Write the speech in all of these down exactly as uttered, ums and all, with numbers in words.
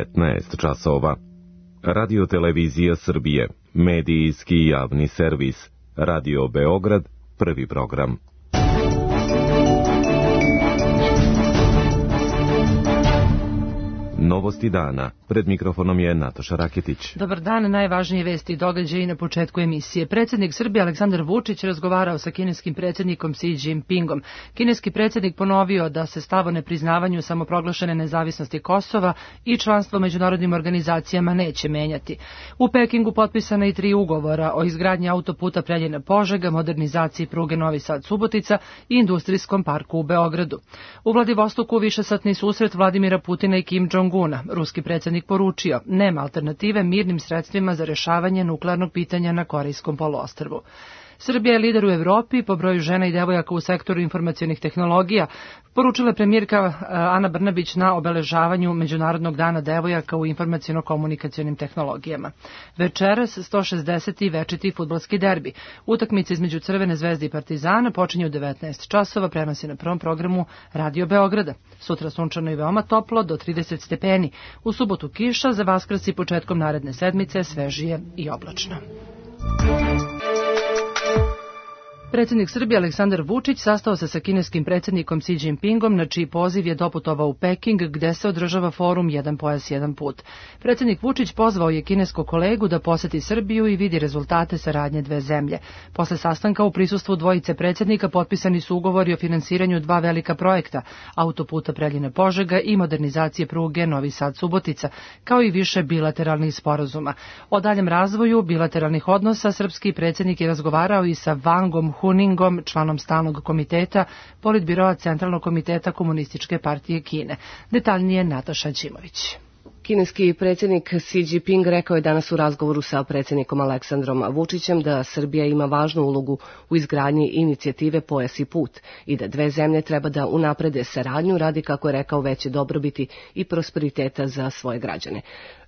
devetnaest časova. Radio Televizija Srbije, medijski javni servis, Radio Beograd, prvi program. Novosti dana. Pred mikrofonom je Nataša Raketić. Dobar dan, najvažnije vesti i događaji na početku emisije. Predsjednik Srbije Aleksandar Vučić razgovarao sa kineskim predsjednikom Xi Jinpingom. Kineski predsjednik ponovio da se stav o nepriznavanju samoproglašene nezavisnosti Kosova i članstvo u međunarodnim organizacijama neće menjati. U Pekingu potpisana i tri ugovora o izgradnji autoputa Preljina-Požega, modernizaciji pruge Novi Sad-Subotica i industrijskom parku u Beogradu. U Vladivostoku višesatni susret Vladimira Putina i Kim Jong-una. Ruski predsjednik poručio, nema alternative mirnim sredstvima za rješavanje nuklearnog pitanja na Korejskom poluostrvu. Srbija je lider u Evropi po broju žena i devojaka u sektoru informacionih tehnologija, poručila je premijerka Ana Brnabić na obeležavanju Međunarodnog dana devojaka u informaciono-komunikacionim tehnologijama. Večeras sto šezdeseti večiti fudbalski derbi. Utakmica između Crvene zvezde i Partizana počinje u devetnaest časova, prenosi na prvom programu Radio Beograda. Sutra sunčano i veoma toplo, do trideset stepeni. U subotu kiša, za Vaskrs i početkom naredne sedmice svežije i oblačno. Predsjednik Srbije Aleksandar Vučić sastao se sa kineskim predsjednikom Xi Jinpingom, na čiji poziv je doputovao u Peking, gde se održava forum Jedan pojas, jedan put. Predsjednik Vučić pozvao je kineskog kolegu da poseti Srbiju i vidi rezultate saradnje dve zemlje. Posle sastanka u prisustvu dvojice predsjednika potpisani su ugovori o finansiranju dva velika projekta, autoputa Preljina-Požega i modernizacije pruge Novi Sad-Subotica, kao i više bilateralnih sporazuma. O daljem razvoju bilateralnih odnosa srpski predsjednik je razgovarao i sa Wangom Huningom, članom stalnog komiteta Politbiroa Centralnog komiteta Komunističke partije Kine. Detaljnije Nataša Ćimović. Kineski predsjednik Xi Jinping rekao je danas u razgovoru sa predsjednikom Aleksandrom Vučićem da Srbija ima važnu ulogu u izgradnji inicijative Pojas i put i da dve zemlje treba da unaprede saradnju radi, kako je rekao, veće dobrobiti i prosperiteta za svoje građane.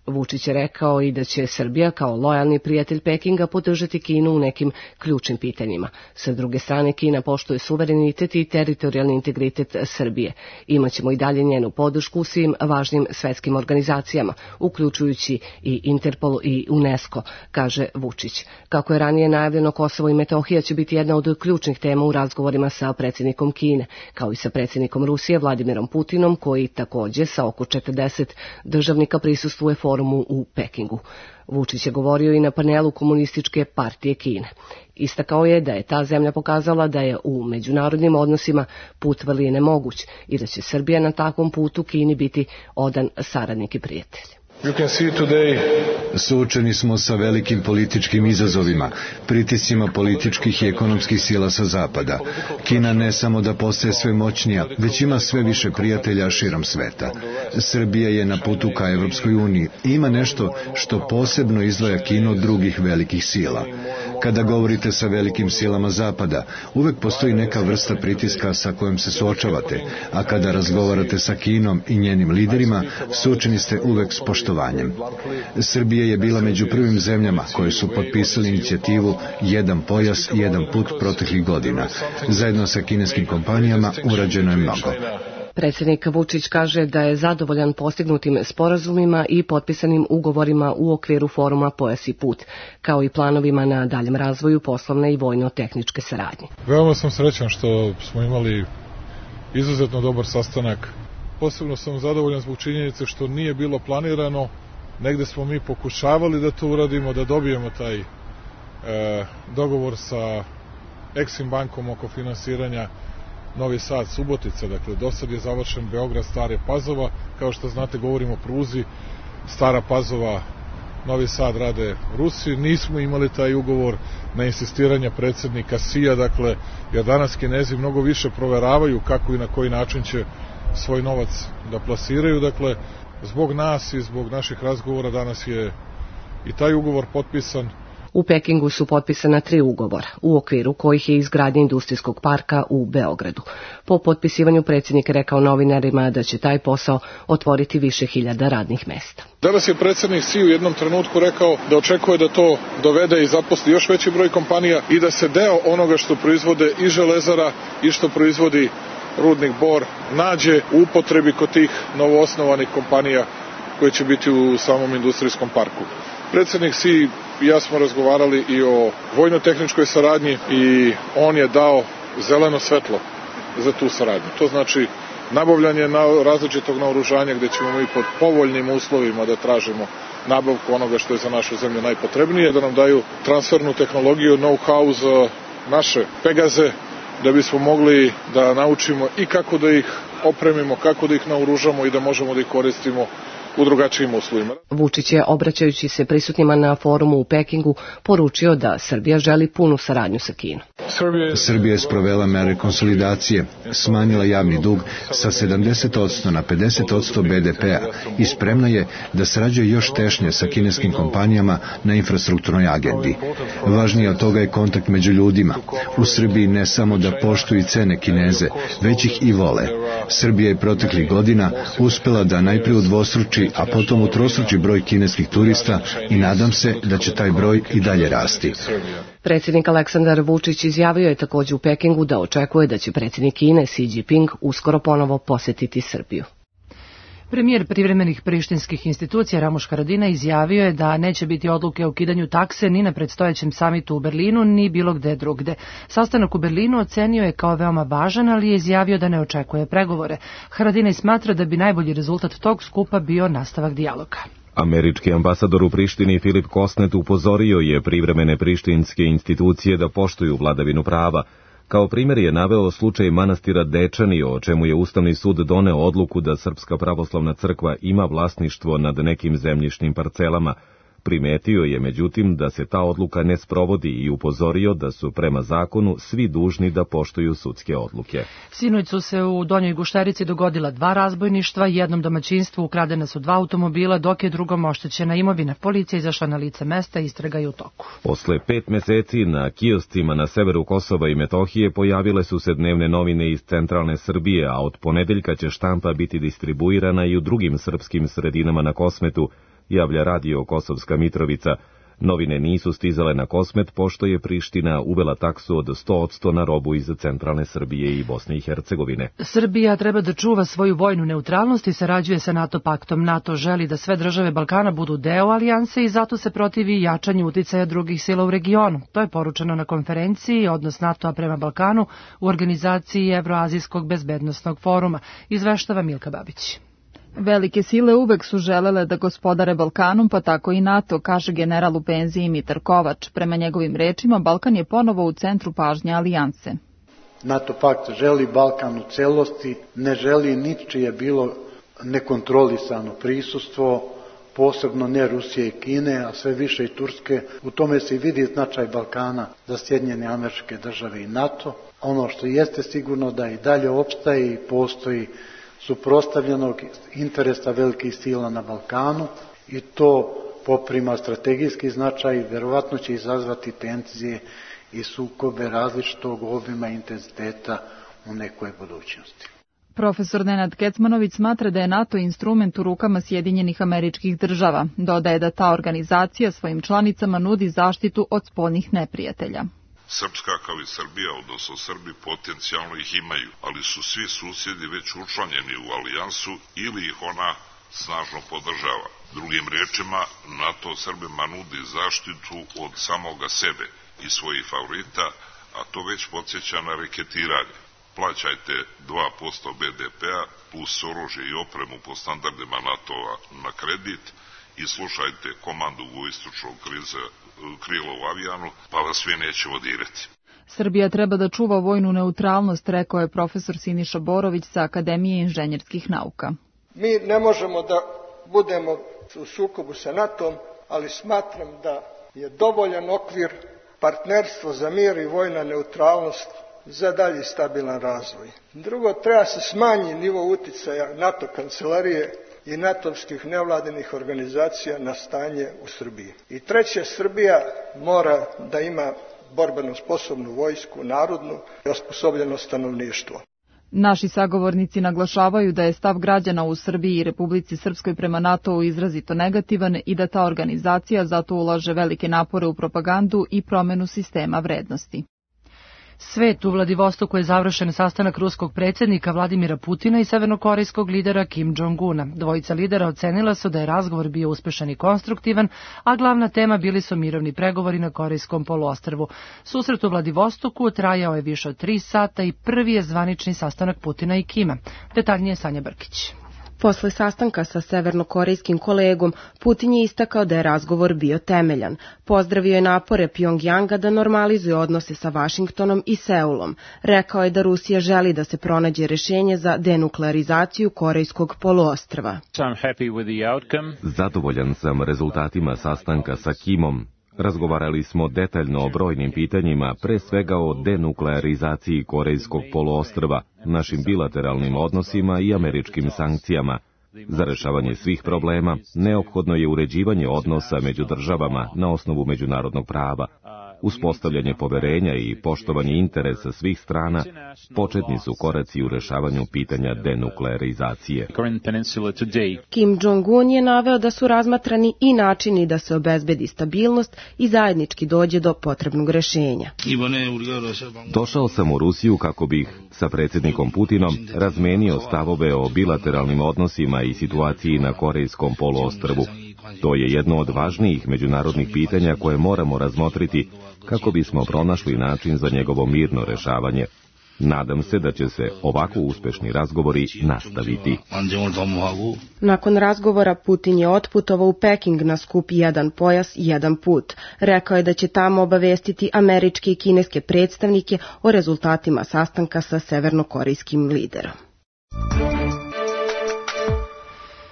Vučić je rekao i da će Srbija kao lojalni prijatelj Pekinga podržati Kinu u nekim ključnim pitanjima. Sa druge strane, Kina poštuje suverenitet i teritorijalni integritet Srbije. Imaćemo i dalje njenu podršku u svim važnim svetskim organizacijama, uključujući i Interpol i UNESCO, kaže Vučić. Kako je ranije najavljeno, Kosovo i Metohija će biti jedna od ključnih tema u razgovorima sa predsjednikom Kine, kao i sa predsjednikom Rusije Vladimirom Putinom, koji takođe sa oko četrdeset državnika prisustvuje forumu u Pekingu. Vučić je govorio i na panelu Komunističke partije Kine. Istakao je da je ta zemlja pokazala da je u međunarodnim odnosima put vrline nemoguć i da će Srbija na takvom putu Kini biti odan saradnik i prijatelj. Suočeni smo sa velikim političkim izazovima, pritiscima političkih i ekonomskih sila sa zapada. Kina ne samo da postaje sve moćnija, već ima sve više prijatelja širom sveta. Srbija je na putu ka Evropskoj uniji i ima nešto što posebno izdvaja Kinu od drugih velikih sila. Kada govorite sa velikim silama zapada, uvek postoji neka vrsta pritiska sa kojom se suočavate, a kada razgovarate sa Kinom i njenim liderima, suočeni ste uvek s poštovanjem. Srbija je bila među prvim zemljama koje su potpisali inicijativu Jedan pojas, jedan put proteklih godina. Zajedno sa kineskim kompanijama urađeno je mnogo. Predsjednik Vučić kaže da je zadovoljan postignutim sporazumima i potpisanim ugovorima u okviru foruma Pojas i put, kao i planovima na daljem razvoju poslovne i vojno-tehničke saradnje. Veoma sam srećan što smo imali izuzetno dobar sastanak. Posebno sam zadovoljan zbog činjenice što nije bilo planirano. Negde smo mi pokušavali da to uradimo, da dobijemo taj e, dogovor sa Eksim bankom oko finansiranja Novi Sad, Subotica, dakle do sad je završen Beograd, Stare Pazova, kao što znate govorimo o pruzi, Stara Pazova, Novi Sad rade Rusi, nismo imali taj ugovor na insistiranje predsjednika Xija, dakle, jer danas Kinezi mnogo više proveravaju kako i na koji način će svoj novac da plasiraju, dakle, zbog nas i zbog naših razgovora danas je i taj ugovor potpisan. U Pekingu su potpisana tri ugovora, u okviru kojih je izgradnja industrijskog parka u Beogradu. Po potpisivanju predsjednik rekao novinarima da će taj posao otvoriti više hiljada radnih mesta. Danas je predsjednik Xi u jednom trenutku rekao da očekuje da to dovede i zaposli još veći broj kompanija i da se deo onoga što proizvode i Železara i što proizvodi rudnik Bor nađe u upotrebi kod tih novoosnovanih kompanija koje će biti u samom industrijskom parku. Predsjednik Xi i ja smo razgovarali i o vojno-tehničkoj saradnji i on je dao zeleno svetlo za tu saradnju. To znači nabavljanje različitog naoružanja gdje ćemo mi pod povoljnim uslovima da tražimo nabavku onoga što je za našu zemlju najpotrebnije, da nam daju transfernu tehnologiju, know-how za naše Pegaze, da bismo mogli da naučimo i kako da ih opremimo, kako da ih naoružamo i da možemo da ih koristimo u drugačijim uslovima. Vučić je, obraćajući se prisutnima na forumu u Pekingu, poručio da Srbija želi punu saradnju sa Kinom. Srbija je sprovela mere konsolidacije, smanjila javni dug sa sedamdeset posto na pedeset posto be de pea i spremna je da sarađuje još tešnje sa kineskim kompanijama na infrastrukturnoj agendi. Važnije od toga je kontakt među ljudima. U Srbiji ne samo da poštuju i cene Kineze, već ih i vole. Srbija je proteklih godina uspela da najprije udvostruči, a potom utrostruči broj kineskih turista i nadam se da će taj broj i dalje rasti. Predsjednik Aleksandar Vučić izjavio je također u Pekingu da očekuje da će predsjednik Kine Xi Jinping uskoro ponovo posjetiti Srbiju. Premijer privremenih prištinskih institucija Ramuš Haradinaj izjavio je da neće biti odluke o ukidanju takse ni na predstojećem samitu u Berlinu, ni bilo gde drugde. Sastanak u Berlinu ocenio je kao veoma važan, ali je izjavio da ne očekuje pregovore. Haradinaj smatra da bi najbolji rezultat tog skupa bio nastavak dijaloga. Američki ambasador u Prištini Filip Kosnet upozorio je privremene prištinske institucije da poštuju vladavinu prava. Kao primjer je naveo slučaj manastira Dečani, o čemu je Ustavni sud doneo odluku da Srpska pravoslavna crkva ima vlasništvo nad nekim zemljišnim parcelama. Primetio je, međutim, da se ta odluka ne sprovodi i upozorio da su prema zakonu svi dužni da poštuju sudske odluke. Sinoć su se u Donjoj Gušterici dogodila dva razbojništva, jednom domaćinstvu ukradena su dva automobila, dok je drugom oštećena imovina. Policija izašla na lice mesta, istraga je u toku. Posle pet meseci na kioscima na severu Kosova i Metohije pojavile su se dnevne novine iz centralne Srbije, a od ponedeljka će štampa biti distribuirana i u drugim srpskim sredinama na Kosmetu, javlja radio Kosovska Mitrovica. Novine nisu stizale na Kosmet, pošto je Priština uvela taksu od sto posto na robu iz centralne Srbije i Bosne i Hercegovine. Srbija treba da čuva svoju vojnu neutralnost i sarađuje sa NATO paktom. NATO želi da sve države Balkana budu deo alijanse i zato se protivi jačanju uticaja drugih sila u regionu. To je poručeno na konferenciji Odnos NATO-a prema Balkanu u organizaciji Evroazijskog bezbednosnog foruma, izveštava Milka Babić. Velike sile uvek su želele da gospodare Balkanom, pa tako i NATO, kaže general u penziji Mitar Kovač. Prema njegovim rečima, Balkan je ponovo u centru pažnje alijanse. NATO pakt želi Balkan u celosti, ne želi ničije bilo nekontrolisano prisustvo, posebno ne Rusije i Kine, a sve više i Turske. U tome se i vidi značaj Balkana za Sjedinjene Američke Države i NATO. Ono što jeste sigurno da i dalje opstaje i postoji suprotstavljenog interesa velikih sila na Balkanu i to poprima strategijski značaj, verovatno će izazvati tenzije i sukobe različitog obima i intenziteta u nekoj budućnosti. Profesor Nenad Kecmanović smatra da je NATO instrument u rukama Sjedinjenih Američkih Država. Dodaje da ta organizacija svojim članicama nudi zaštitu od spoljnih neprijatelja. Srpska kao i Srbija, odnosno Srbi, potencijalno ih imaju, ali su svi susjedi već učlanjeni u alijansu ili ih ona snažno podržava. Drugim riječima, NATO Srbima nudi zaštitu od samoga sebe i svojih favorita, a to već podsjeća na reketiranje. Plaćajte dva posto be de pea plus oružje i opremu po standardima NATO-a na kredit i slušajte komandu vojničkog kriza krilo u avijanu, pa vas svi neće vodirati. Srbija treba da čuva vojnu neutralnost, rekao je profesor Siniša Borović sa Akademije inženjerskih nauka. Mi ne možemo da budemo u sukobu sa NATO-om, ali smatram da je dovoljan okvir partnerstvo za mir i vojna neutralnost za dalji stabilan razvoj. Drugo, treba se smanji nivo uticaja NATO kancelarije i natovskih nevladinih organizacija na stanje u Srbiji. I treće, Srbija mora da ima borbeno sposobnu vojsku, narodnu i osposobljeno stanovništvo. Naši sagovornici naglašavaju da je stav građana u Srbiji i Republici Srpskoj prema NATO-u izrazito negativan i da ta organizacija zato ulaže velike napore u propagandu i promenu sistema vrednosti. Svet u Vladivostoku je završen sastanak ruskog predsjednika Vladimira Putina i severnokorejskog lidera Kim Jong-una. Dvojica lidera ocenila su da je razgovor bio uspešan i konstruktivan, a glavna tema bili su mirovni pregovori na Korejskom poluostrvu. Susret u Vladivostoku trajao je više od tri sata i prvi je zvanični sastanak Putina i Kima. Detaljnije Sanja Brkić. Posle sastanka sa severnokorejskim kolegom, Putin je istakao da je razgovor bio temeljan. Pozdravio je napore Pjongjanga da normalizuje odnose sa Vašingtonom i Seulom. Rekao je da Rusija želi da se pronađe rešenje za denuklearizaciju Korejskog poluostrva. Zadovoljan sam rezultatima sastanka sa Kimom. Razgovarali smo detaljno o brojnim pitanjima, pre svega o denuklearizaciji Korejskog poluostrva, našim bilateralnim odnosima i američkim sankcijama. Za rešavanje svih problema neophodno je uređivanje odnosa među državama na osnovu međunarodnog prava. Uspostavljanje poverenja i poštovanje interesa svih strana početni su koraci u rešavanju pitanja denuklearizacije. Kim Jong-un je naveo da su razmatrani i načini da se obezbedi stabilnost i zajednički dođe do potrebnog rešenja. Došao sam u Rusiju kako bih sa predsjednikom Putinom razmenio stavove o bilateralnim odnosima i situaciji na Korejskom poluostrvu. To je jedno od važnijih međunarodnih pitanja koje moramo razmotriti kako bismo pronašli način za njegovo mirno rešavanje. Nadam se da će se ovako uspešni razgovori nastaviti. Nakon razgovora Putin je otputovao u Peking na skup Jedan pojas, jedan put. Rekao je da će tamo obavestiti američke i kineske predstavnike o rezultatima sastanka sa severnokorejskim liderom.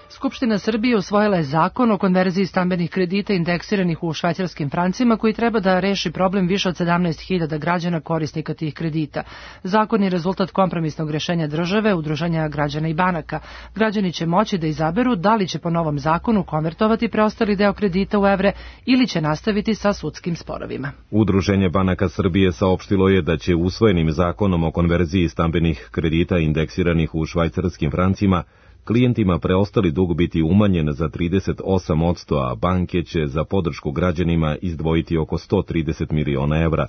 Skupština Srbije usvojila je zakon o konverziji stambenih kredita indeksiranih u švajcarskim francima koji treba da reši problem više od sedamnaest hiljada građana korisnika tih kredita. Zakon je rezultat kompromisnog rešenja države, udruženja građana i banaka. Građani će moći da izaberu da li će po novom zakonu konvertovati preostali deo kredita u evre ili će nastaviti sa sudskim sporovima. Udruženje banaka Srbije saopštilo je da će usvojenim zakonom o konverziji stambenih kredita indeksiranih u švajcarskim francima klijentima preostali dug biti umanjen za trideset osam posto, a banke će za podršku građanima izdvojiti oko sto trideset miliona evra.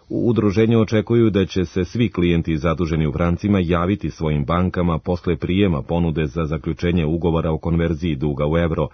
U udruženju očekuju da će se svi klijenti zaduženi u francima javiti svojim bankama posle prijema ponude za zaključenje ugovora o konverziji duga u evro.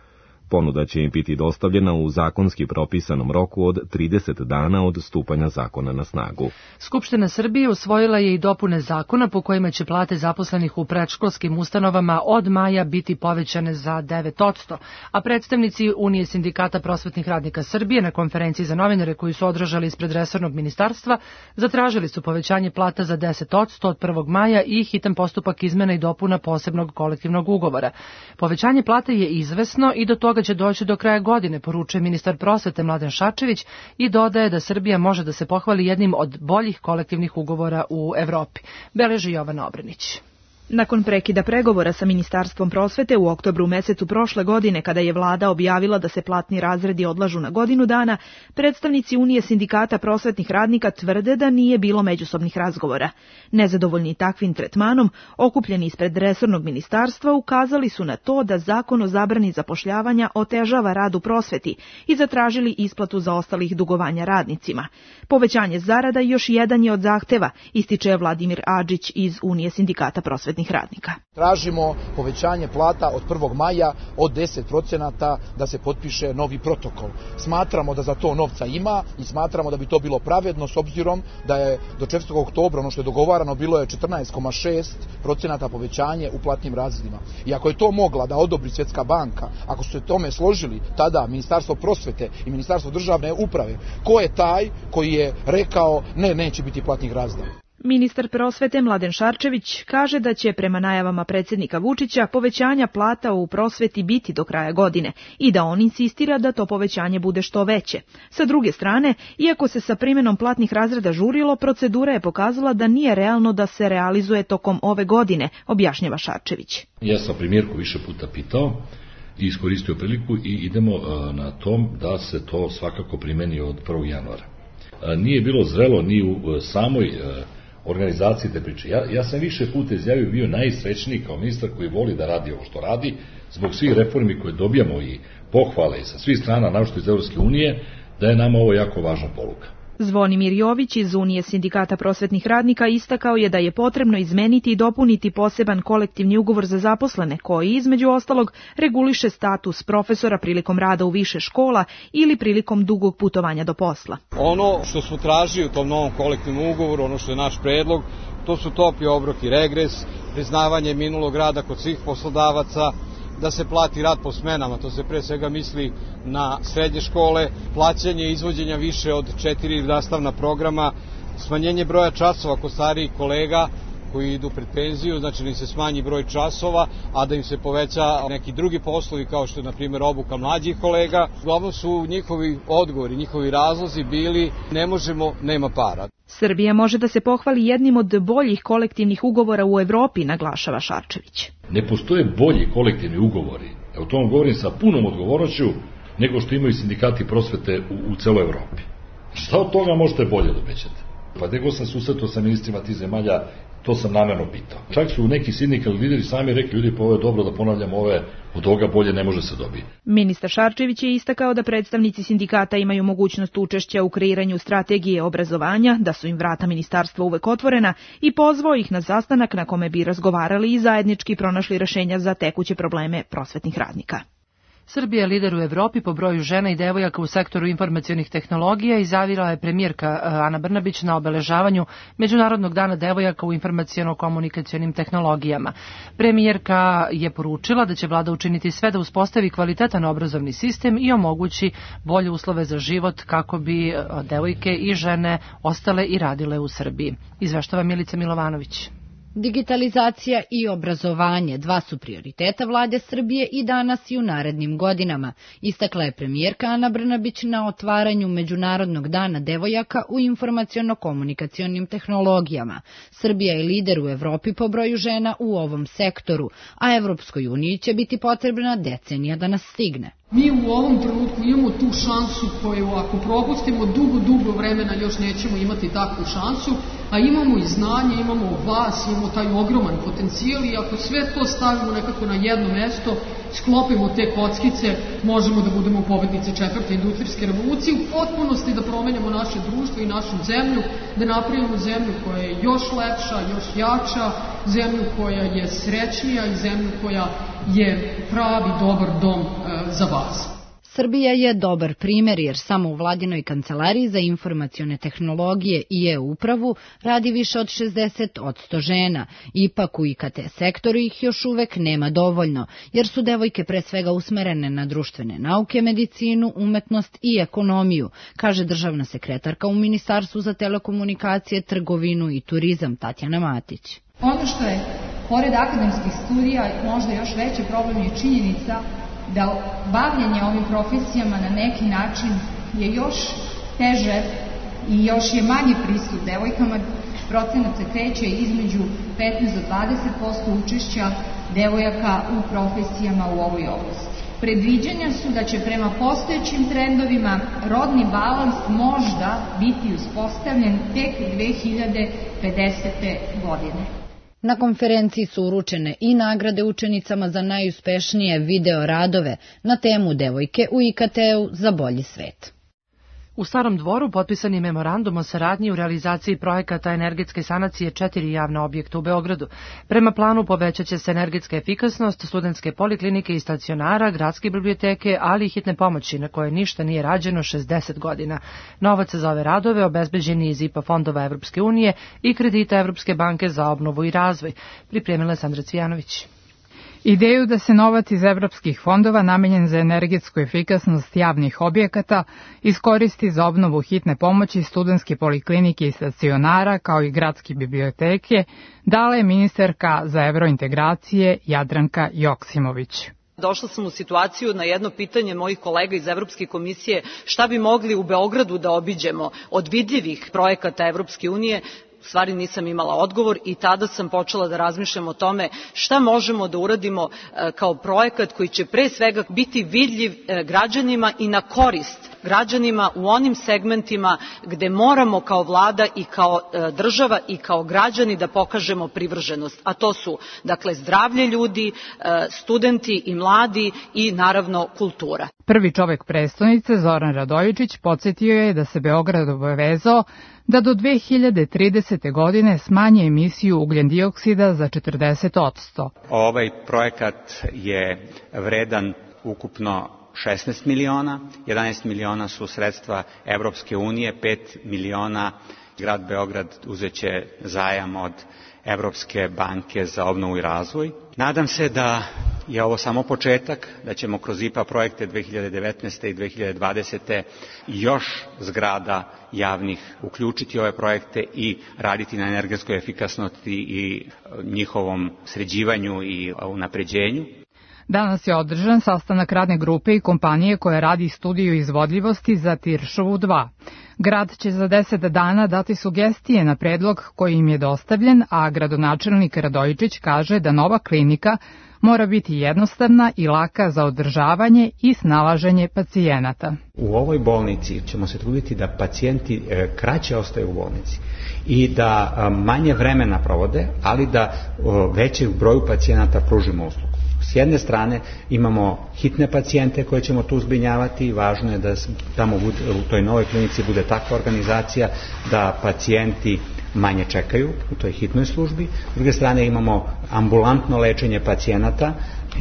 Ponuda će im biti dostavljena u zakonski propisanom roku od trideset dana od stupanja zakona na snagu. Skupština Srbije usvojila je i dopune zakona po kojima će plate zaposlenih u predškolskim ustanovama od maja biti povećane za devet posto, a predstavnici Unije sindikata prosvetnih radnika Srbije na konferenciji za novinare koju su održali ispred resornog ministarstva zatražili su povećanje plata za deset posto od prvog maja i hitan postupak izmena i dopuna posebnog kolektivnog ugovora. Povećanje plate je izvesno i do toga će doći do kraja godine, poručuje ministar prosvete Mladen Šarčević i dodaje da Srbija može da se pohvali jednim od boljih kolektivnih ugovora u Evropi. Beleži Jovana Obrenić. Nakon prekida pregovora sa Ministarstvom prosvete u oktobru mesecu prošle godine, kada je vlada objavila da se platni razredi odlažu na godinu dana, predstavnici Unije sindikata prosvetnih radnika tvrde da nije bilo međusobnih razgovora. Nezadovoljni takvim tretmanom, okupljeni ispred resornog ministarstva, ukazali su na to da zakon o zabrani zapošljavanja otežava rad u prosveti i zatražili isplatu zaostalih dugovanja radnicima. Povećanje zarada još jedan je od zahteva, ističe Vladimir Adžić iz Unije sindikata prosvetnih radnika. Tražimo povećanje plata od prvog maja od deset procenata da se potpiše novi protokol. Smatramo da za to novca ima i smatramo da bi to bilo pravedno s obzirom da je do četvrtog oktobra ono što je dogovarano bilo je četrnaest zarez šest procenata povećanje u platnim razredima. I ako je to mogla da odobri Svjetska banka, ako su se tome složili tada Ministarstvo prosvete i Ministarstvo državne uprave, ko je taj koji je rekao ne, neće biti platnih razreda? Ministar prosvete Mladen Šarčević kaže da će prema najavama predsjednika Vučića povećanja plata u prosveti biti do kraja godine i da on insistira da to povećanje bude što veće. Sa druge strane, iako se sa primjenom platnih razreda žurilo, procedura je pokazala da nije realno da se realizuje tokom ove godine, objašnjava Šarčević. Ja sam premijerku više puta pitao i iskoristio priliku i idemo na tom da se to svakako primeni od prvog januara. Nije bilo zrelo ni u samoj organizaciji te priče. Ja, ja sam više puta izjavio bio najsrećniji kao ministar koji voli da radi ovo što radi, zbog svih reformi koje dobijamo i pohvale sa svih strana, naročito iz Evropske unije, da je nama ovo jako važna poruka. Zvonimir Jović iz Unije sindikata prosvetnih radnika istakao je da je potrebno izmeniti i dopuniti poseban kolektivni ugovor za zaposlene koji, između ostalog, reguliše status profesora prilikom rada u više škola ili prilikom dugog putovanja do posla. Ono što smo tražili u tom novom kolektivnom ugovoru, ono što je naš predlog, to su topli obrok i regres, priznavanje minulog rada kod svih poslodavaca, da se plati rad po smenama, to se pre svega misli na srednje škole, plaćanje izvođenja više od četiri nastavna programa, smanjenje broja časova kod starijih kolega koji idu pred penziju, znači da im se smanji broj časova, a da im se poveća neki drugi poslovi kao što je na primjer obuka mlađih kolega. Uglavnom su njihovi odgovori, njihovi razlozi bili ne možemo, nema para. Srbija može da se pohvali jednim od boljih kolektivnih ugovora u Evropi, naglašava Šarčević. Ne postoje bolji kolektivni ugovori, o tom govorim sa punom odgovornošću, nego što imaju sindikati prosvete u, u celoj Evropi. Šta od toga možete bolje da obećate? Pa nego sam susretao sa ministrima tih zemalja, to sam namerno pitao. Čak su neki sindikalni lideri sami rekli, ljudi, pa ovo je dobro da ponavljam, ove od ovoga bolje ne može se dobiti. Ministar Šarčević je istakao da predstavnici sindikata imaju mogućnost učešća u kreiranju strategije obrazovanja, da su im vrata ministarstva uvek otvorena i pozvao ih na sastanak na kome bi razgovarali i zajednički pronašli rešenja za tekuće probleme prosvetnih radnika. Srbija je lider u Evropi po broju žena i devojaka u sektoru informacionih tehnologija, izjavila je premijerka Ana Brnabić na obeležavanju Međunarodnog dana devojaka u informaciono-komunikacionim tehnologijama. Premijerka je poručila da će vlada učiniti sve da uspostavi kvalitetan obrazovni sistem i omogući bolje uslove za život kako bi devojke i žene ostale i radile u Srbiji. Izveštava Milica Milovanović. Digitalizacija i obrazovanje dva su prioriteta vlade Srbije i danas i u narednim godinama, istakla je premijerka Ana Brnabić na otvaranju Međunarodnog dana devojaka u informaciono-komunikacionim tehnologijama. Srbija je lider u Evropi po broju žena u ovom sektoru, a Evropskoj uniji će biti potrebna decenija da nas stigne. Mi u ovom trenutku imamo tu šansu koju ako propustimo dugo, dugo vremena još nećemo imati takvu šansu, a imamo i znanje, imamo vas, imamo taj ogroman potencijal i ako sve to stavimo nekako na jedno mesto, sklopimo te kockice, možemo da budemo pobednici četvrte industrijske revolucije, u potpunosti da promenimo naše društvo i našu zemlju, da napravimo zemlju koja je još lepša, još jača, zemlju koja je srećnija i zemlju koja je pravi dobar dom e, za vas. Srbija je dobar primer jer samo u vladinoj kancelariji za informacione tehnologije i e-upravu radi više od šezdeset posto žena. Ipak u I K T sektoru ih još uvek nema dovoljno, jer su devojke pre svega usmerene na društvene nauke, medicinu, umetnost i ekonomiju, kaže državna sekretarka u Ministarstvu za telekomunikacije, trgovinu i turizam Tatjana Matić. Ono što je, pored akademskih studija, možda još veći problem je činjenica da bavljenje ovim profesijama na neki način je još teže i još je manji pristup devojkama. Procenat se kreće između petnaest do dvadeset posto učešća devojaka u profesijama u ovoj oblasti. Predviđanja su da će prema postojećim trendovima rodni balans možda biti uspostavljen tek dve hiljade pedesete. godine. Na konferenciji su uručene i nagrade učenicama za najuspešnije video radove na temu devojke u I K T-u za bolji svet. U Starom Dvoru potpisan je memorandum o saradnji u realizaciji projekata energetske sanacije četiri javna objekta u Beogradu. Prema planu povećat će se energetska efikasnost, studentske poliklinike i stacionara, gradske biblioteke, ali i hitne pomoći na koje ništa nije rađeno šezdeset godina. Novac za ove radove obezbeđen je iz I P A fondova Evropske unije i kredita Evropske banke za obnovu i razvoj. Pripremila je Sandra Cvijanović. Ideju da se novac iz evropskih fondova namenjen za energetsku efikasnost javnih objekata iskoristi za obnovu hitne pomoći, studentske poliklinike i stacionara, kao i gradske biblioteke, dala je ministarka za evrointegracije Jadranka Joksimović. Došla sam u situaciju na jedno pitanje mojih kolega iz Evropske komisije šta bi mogli u Beogradu da obiđemo od vidljivih projekata Evropske unije. U stvari nisam imala odgovor i tada sam počela da razmišljam o tome šta možemo da uradimo kao projekat koji će pre svega biti vidljiv građanima i na korist građanima u onim segmentima gde moramo kao vlada i kao država i kao građani da pokažemo privrženost, a to su dakle zdravlje ljudi, studenti i mladi i naravno kultura. Prvi čovek prestonice, Zoran Radojičić, podsjetio je da se Beograd obavezao da do dve hiljade tridesete. godine smanje emisiju ugljendioksida za četrdeset posto. Ovaj projekat je vredan ukupno šesnaest miliona, jedanaest miliona su sredstva Evropske unije, pet miliona grad Beograd uzeće zajam od Evropske banke za obnovu i razvoj. Nadam se da je ovo samo početak, da ćemo kroz I P A projekte dve hiljade devetnaeste. i dve hiljade dvadesete. još zgrada javnih uključiti ove projekte i raditi na energetskoj efikasnosti i njihovom sređivanju i unapređenju. Danas je održan sastanak radne grupe i kompanije koja radi studiju izvodljivosti za Tiršovu dva. Grad će za deset dana dati sugestije na predlog koji im je dostavljen, a gradonačelnik Radojičić kaže da nova klinika mora biti jednostavna i laka za održavanje i snalaženje pacijenata. U ovoj bolnici ćemo se truditi da pacijenti kraće ostaju u bolnici i da manje vremena provode, ali da većem broju pacijenata pružimo uslugu. S jedne strane imamo hitne pacijente koje ćemo tu zbrinjavati, važno je da tamo u toj novoj klinici bude takva organizacija da pacijenti manje čekaju u toj hitnoj službi. S druge strane imamo ambulantno lečenje pacijenata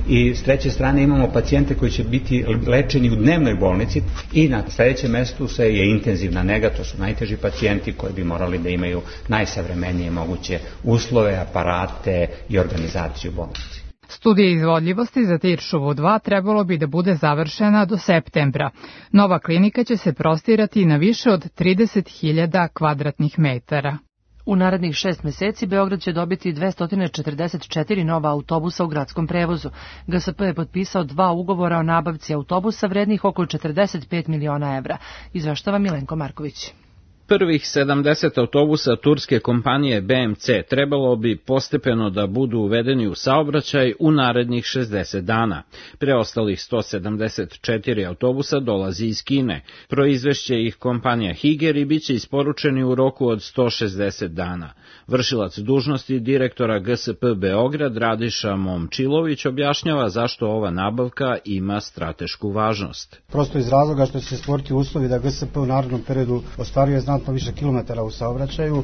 i s treće strane imamo pacijente koji će biti lečeni u dnevnoj bolnici i na sljedećem mestu se je intenzivna nega, to su najteži pacijenti koji bi morali da imaju najsavremenije moguće uslove, aparate i organizaciju bolnici. Studija izvodljivosti za Tiršovu dva trebalo bi da bude završena do septembra. Nova klinika će se prostirati na više od trideset hiljada kvadratnih metara. U narednih šest meseci Beograd će dobiti dvesta četrdeset četiri nova autobusa u gradskom prevozu. G S P je potpisao dva ugovora o nabavci autobusa vrednih oko četrdeset pet miliona evra. Izveštava Milenko Marković. Prvih sedamdeset autobusa turske kompanije B M C trebalo bi postepeno da budu uvedeni u saobraćaj u narednih šezdeset dana. Preostalih sto sedamdeset četiri autobusa dolazi iz Kine. Proizvešće ih kompanija Higer i bit će isporučeni u roku od sto šezdeset dana. Vršilac dužnosti direktora G S P Beograd Radiša Momčilović objašnjava zašto ova nabavka ima stratešku važnost. Prosto iz razloga što će se stvoriti uslovi da G S P u narednom periodu ostvaruje znatno više kilometara u saobraćaju.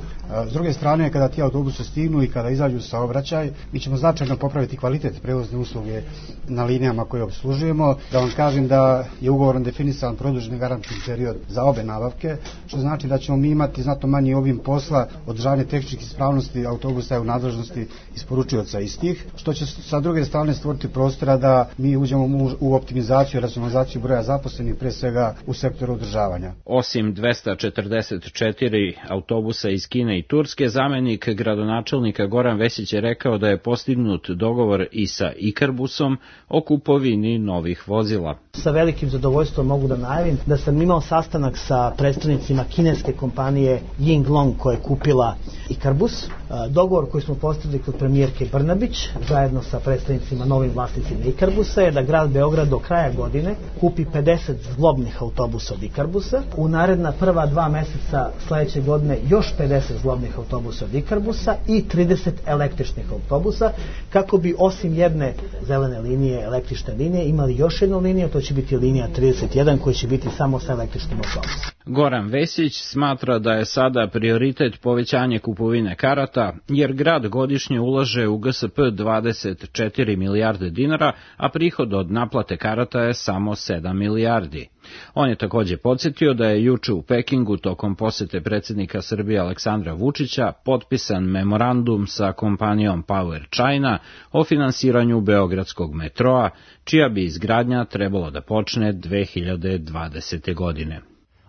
S druge strane, kada ti autobusi stignu i kada izađu u saobraćaj, mi ćemo značajno popraviti kvalitet prevozne usluge na linijama koje obslužujemo. Da vam kažem da je ugovorom definisan produženi garantni period za obe nabavke, što znači da ćemo mi imati znatno manji obim posla, održavanje tehničkih ispravnosti autobusa u nadležnosti isporučioca istih, što će sa druge strane stvoriti prostora da mi uđemo u optimizaciju i racionalizaciju broja zaposlenih, pre svega u sektoru održavanja. Osim dvesta četrdeset četiri autobusa iz Kine i Turske, zamenik gradonačelnika Goran Vesić je rekao da je postignut dogovor i sa Ikarbusom o kupovini novih vozila. Sa velikim zadovoljstvom mogu da najavim da sam imao sastanak sa predstavnicima kineske kompanije Yinglong koja je kupila Ikarbus. Dogovor koji smo postigli kod premijerke Brnabić zajedno sa predstavnicima novim vlasnicima Ikarbusa je da grad Beograd do kraja godine kupi pedeset zglobnih autobusa od Ikarbusa. U naredna prva dva meseca sledeće godine još pedeset zglobnih autobusa od Ikarbusa i trideset električnih autobusa, kako bi osim jedne zelene linije, električne linije, imali još jednu liniju, to će biti linija trideset jedan koja će biti samo sa električnim autobusom. Goran Vesić smatra da je sada prioritet povećanje kupovine karata, jer grad godišnje ulaže u G S P dvadeset četiri milijarde dinara, a prihod od naplate karata je samo sedam milijardi. On je također podsjetio da je juče u Pekingu tokom posete predsjednika Srbije Aleksandra Vučića potpisan memorandum sa kompanijom Power China o finansiranju beogradskog metroa, čija bi izgradnja trebalo da počne dve hiljade dvadesete. godine.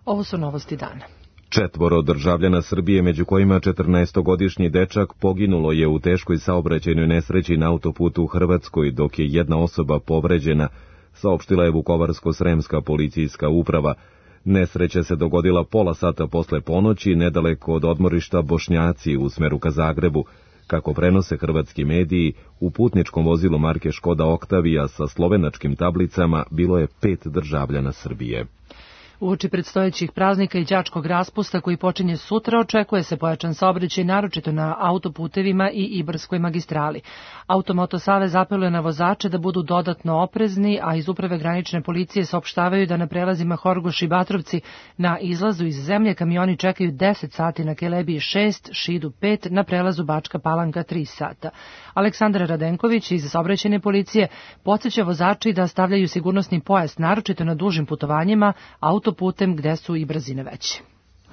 Ovo su novosti dana. Četvoro državljana Srbije, među kojima četrnaestogodišnji dečak, poginulo je u teškoj saobraćajnoj nesreći na autoputu u Hrvatskoj, dok je jedna osoba povređena, saopštila je Vukovarsko-sremska policijska uprava. Nesreća se dogodila pola sata posle ponoći, nedaleko od odmorišta Bošnjaci u smeru ka Zagrebu. Kako prenose hrvatski mediji, u putničkom vozilu marke Škoda Oktavija sa slovenačkim tablicama bilo je pet državljana Srbije. Uoči predstojećih praznika i đačkog raspusta koji počinje sutra, očekuje se pojačan saobraćaj naročito na autoputevima i Ibarskoj magistrali. Automoto savez apeluje na vozače da budu dodatno oprezni, a iz uprave granične policije saopštavaju da na prelazima Horgoš i Batrovci na izlazu iz zemlje kamioni čekaju deset sati, na Kelebiji šest, Šidu pet, na prelazu Bačka Palanka tri sata. Aleksandar Radenković iz saobraćajne policije podsjeća vozači da stavljaju sigurnosni pojas naročito na dužim putovanjima autoputem gde su i brzine veće.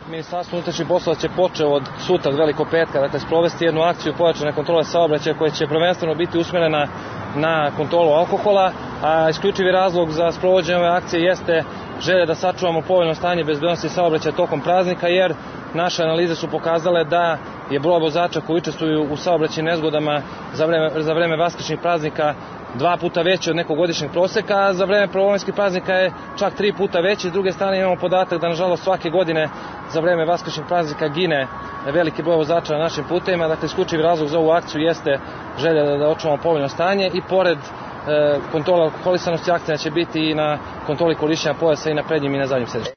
Ministarstvo unutrašnjih poslova će početi od sutra, od Velikog petka, dakle sprovesti jednu akciju pojačane kontrole saobraćaja koja će prvenstveno biti usmjerena na kontrolu alkohola, a isključivi razlog za sprovođenje ove akcije jeste želja da sačuvamo povoljno stanje bezbednosti saobraćaja tokom praznika, jer naše analize su pokazale da je broj vozača koji učestvuju u saobraćajnim nezgodama za vreme, za vreme vaskršnjih praznika dva puta veći od nekog godišnjeg proseka, a za vreme prvomajskih praznika je čak tri puta veći. S druge strane imamo podatak da nažalost svake godine za vreme vaskršnjih praznika gine veliki broj vozača na našim putevima. Dakle, isključivi razlog za ovu akciju jeste želja da, da očuvamo povoljno stanje i pored e, kontrole alkoholisanosti akcija će biti i na kontroli korišćenja pojasa i na prednjim i na zadnjim sedištima.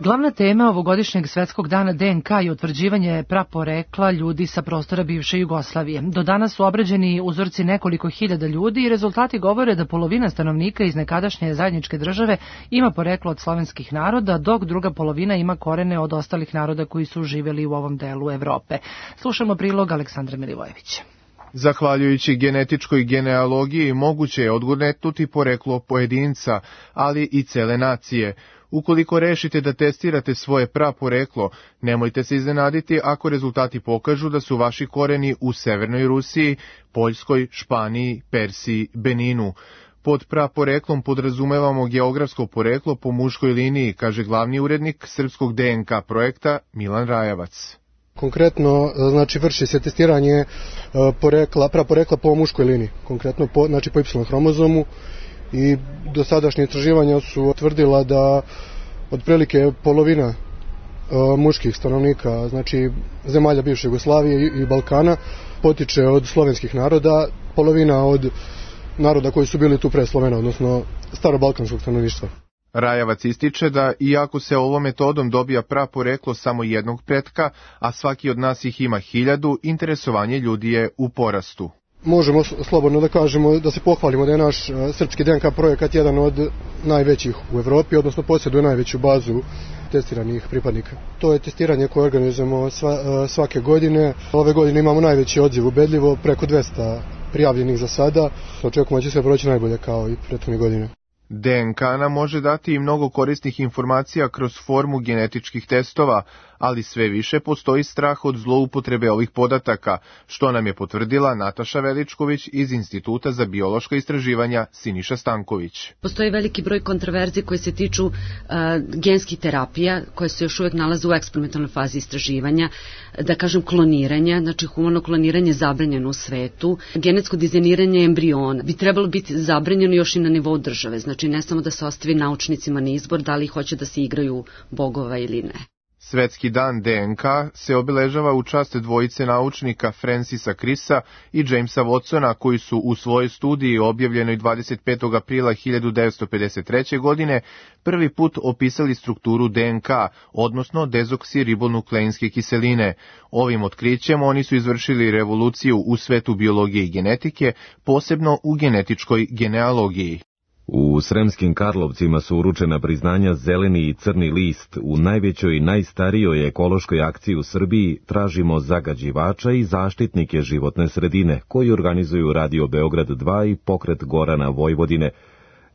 Glavna tema ovogodišnjeg svetskog dana D N K je utvrđivanje praporekla ljudi sa prostora bivše Jugoslavije. Do danas su obrađeni uzorci nekoliko hiljada ljudi i rezultati govore da polovina stanovnika iz nekadašnje zajedničke države ima poreklo od slovenskih naroda, dok druga polovina ima korene od ostalih naroda koji su živjeli u ovom delu Evrope. Slušamo prilog Aleksandra Milivojevića. Zahvaljujući genetičkoj genealogiji moguće je odgonetnuti poreklo pojedinca, ali i cele nacije. Ukoliko rešite da testirate svoje praporeklo, nemojte se iznenaditi ako rezultati pokažu da su vaši koreni u Severnoj Rusiji, Poljskoj, Španiji, Persiji, Beninu. Pod praporeklom podrazumevamo geografsko poreklo po muškoj liniji, kaže glavni urednik srpskog D N K projekta Milan Rajavac. Konkretno, znači, vrši se testiranje porekla, praporekla po muškoj liniji, konkretno po, znači, po Y hromozomu, i dosadašnje istraživanja su utvrdila da otprilike polovina uh, muških stanovnika, znači zemalja bivše Jugoslavije i, i Balkana, potiče od slovenskih naroda, polovina od naroda koji su bili tu pre Slovena, odnosno starobalkanskog stanovništva. Rajavac ističe da, iako se ovom metodom dobija praporeklo samo jednog pretka, a svaki od nas ih ima hiljadu, interesovanje ljudi je u porastu. Možemo slobodno da kažemo, da se pohvalimo da je naš srpski D N K projekat jedan od najvećih u Evropi, odnosno posjeduje najveću bazu testiranih pripadnika. To je testiranje koje organizujemo sva, svake godine. Ove godine imamo najveći odziv ubedljivo, preko dvesta prijavljenih za sada. Očekujemo da će sve proći najbolje kao i prethodne godine. D N K nam može dati i mnogo korisnih informacija kroz formu genetičkih testova, ali sve više postoji strah od zloupotrebe ovih podataka, što nam je potvrdila Nataša Veličković iz Instituta za biološka istraživanja Siniša Stanković. Postoji veliki broj kontroverzi koje se tiču uh, genskih terapija, koje se još uvijek nalaze u eksperimentalnoj fazi istraživanja, da kažem kloniranja, znači humano kloniranje je zabranjeno u svetu, genetsko dizajniranje embriona bi trebalo biti zabranjeno još i na nivou države, znači ne samo da se ostavi naučnicima na izbor da li hoće da se igraju bogova ili ne. Svetski dan D N K se obeležava u čast dvojice naučnika Francisa Crissa i Jamesa Watsona, koji su u svojoj studiji objavljenoj dvadeset petog aprila hiljadu devetsto pedeset treće. godine prvi put opisali strukturu D N K, odnosno dezoksiribonukleinske kiseline. Ovim otkrićem oni su izvršili revoluciju u svetu biologije i genetike, posebno u genetičkoj genealogiji. U Sremskim Karlovcima su uručena priznanja Zeleni i Crni list. U najvećoj i najstarijoj ekološkoj akciji u Srbiji tražimo zagađivača i zaštitnike životne sredine, koji organizuju Radio Beograd dva i Pokret Gorana Vojvodine.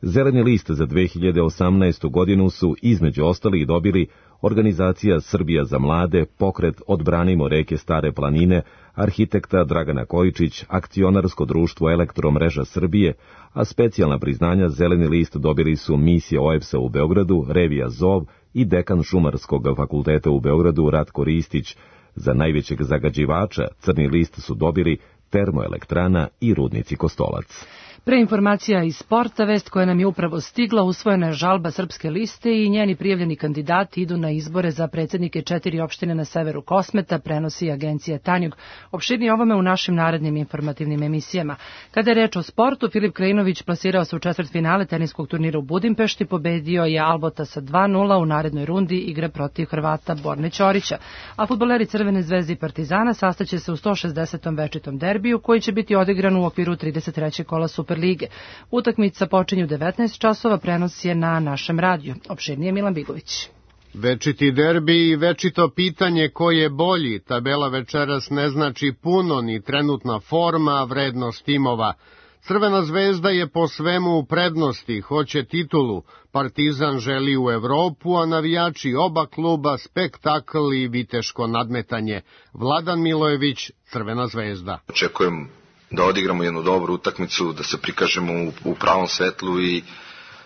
Zeleni list za dve hiljade osamnaestu. godinu su između ostalih dobili Organizacija Srbija za mlade, Pokret Odbranimo reke Stare planine, arhitekta Dragana Kojičić, Akcionarsko društvo Elektromreža Srbije, a specijalna priznanja Zeleni list dobili su Misija O E B S-a u Beogradu, Revija Zov i dekan Šumarskog fakulteta u Beogradu Ratko Ristić. Za najvećeg zagađivača Crni list su dobili Termoelektrana i Rudnici Kostolac. Pre informacija iz sporta, vest koja nam je upravo stigla, usvojena je žalba Srpske liste i njeni prijavljeni kandidati idu na izbore za predsjednike četiri opštine na severu Kosmeta, prenosi agencija Tanjug. Opširnije ovome u našim narednim informativnim emisijama. Kada je reč o sportu, Filip Krajinović plasirao se u četvrtfinale teniskog turnira u Budimpešti, pobedio je Albota sa dva nula, u narednoj rundi igra protiv Hrvata Borne Ćorića. A fudbaleri Crvene zvezde i Partizana sastaće se u sto šezdesetom večitom derbiju koji će biti odigran u okviru trideset trećeg kola Superlige. Utakmica počinje u devetnaest časova, prenos je na našem radiju. Opširnije Milan Bigović. Večiti derbi i večito pitanje ko je bolji. Tabela večeras ne znači puno, ni trenutna forma, vrednost timova. Crvena zvezda je po svemu u prednosti, hoće titulu. Partizan želi u Evropu, a navijači oba kluba spektakl i viteško nadmetanje. Vladan Milojević, Crvena zvezda. Očekujem da odigramo jednu dobru utakmicu, da se prikažemo u, u pravom svetlu i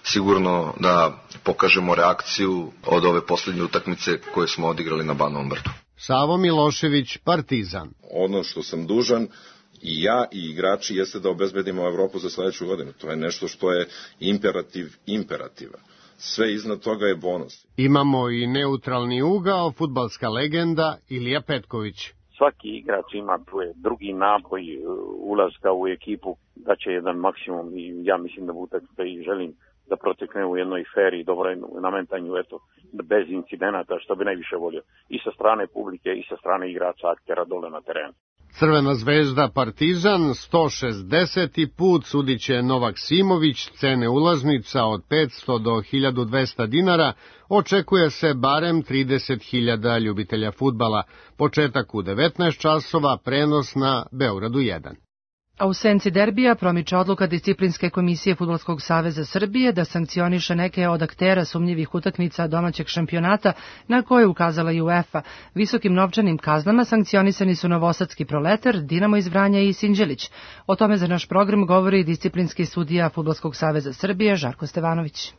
sigurno da pokažemo reakciju od ove posljednje utakmice koje smo odigrali na Banovom Brdu. Savo Milošević, Partizan. Ono što sam dužan i ja i igrači jeste da obezbedimo Evropu za sledeću godinu. To je nešto što je imperativ imperativa. Sve iznad toga je bonus. Imamo i neutralni ugao, fudbalska legenda Ilija Petković. Svaki igrač ima drugi naboj ulaska u ekipu, da će jedan maksimum i ja mislim da bude da i želim da protekne u jednoj feri i dobroj nametanju, eto, bez incidenata, što bi najviše volio. I sa strane publike i sa strane igrača, aktera dole na terenu. Crvena zvezda Partizan, sto šezdeseti put, sudit će Novak Simović, cene ulaznica od petsto do hiljadu dvesta dinara, očekuje se barem trideset hiljada ljubitelja fudbala. Početak u devetnaest časova, prenos na Beogradu jedan. A u senci derbija promiče odluka Disciplinske komisije Fudbalskog saveza Srbije da sankcioniše neke od aktera sumnjivih utakmica domaćeg šampionata na koje je ukazala i UEFA. Visokim novčanim kaznama sankcionisani su Novosadski Proletar, Dinamo iz Vranja i Sinđelić. O tome za naš program govori disciplinski sudija Fudbalskog saveza Srbije Žarko Stevanović.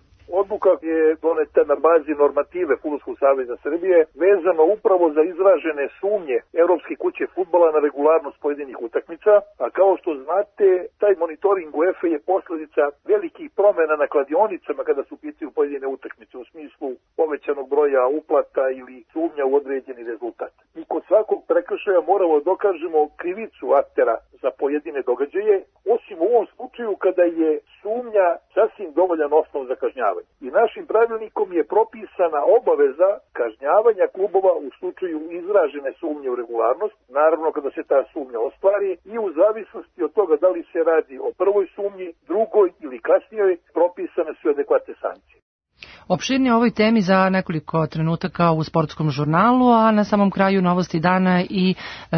Odluka je doneta na bazi normative Fudbalskog saveza Srbije, vezano upravo za izražene sumnje Evropske kuće fudbala na regularnost pojedinih utakmica, a kao što znate, taj monitoring UEFA je posljedica velikih promjena na kladionicama kada su u pitanju pojedine utakmice u smislu povećanog broja uplata ili sumnja u određeni rezultat. Mi kod svakog prekršaja moramo da dokažemo krivicu aktera za pojedine događaje, osim u ovom slučaju kada je sumnja sasvim dovoljan osnov za kažnjavanje. I našim pravilnikom je propisana obaveza kažnjavanja klubova u slučaju izražene sumnje u regularnost, naravno kada se ta sumnja ostvari, i u zavisnosti od toga da li se radi o prvoj sumnji, drugoj ili kasnijoj, propisane su adekvatne sankcije. Opširnije o ovoj temi za nekoliko trenutaka u sportskom žurnalu, a na samom kraju novosti dana i e,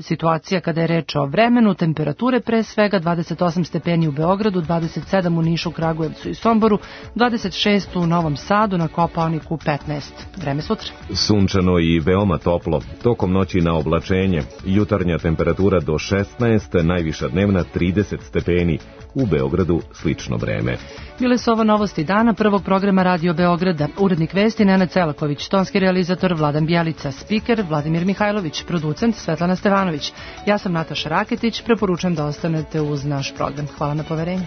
situacija kada je reč o vremenu, temperature pre svega dvadeset osam stepeni u Beogradu, dvadeset sedam u Nišu, Kragujevcu i Somboru, dvadeset šest u Novom Sadu, na Kopaoniku petnaest. Vreme sutra. Sunčano i veoma toplo, tokom noći na oblačenje, jutarnja temperatura do šesnaest, najviša dnevna trideset stepeni, u Beogradu slično vreme. Bile su ovo novosti dana prvog programa Radio Beograda. Urednik vesti Nenad Celaković, tonski realizator Vladan Bjelica, spiker Vladimir Mihajlović, producent Svetlana Stevanović. Ja sam Nataša Raketić, preporučujem da ostanete uz naš program. Hvala na poverenju.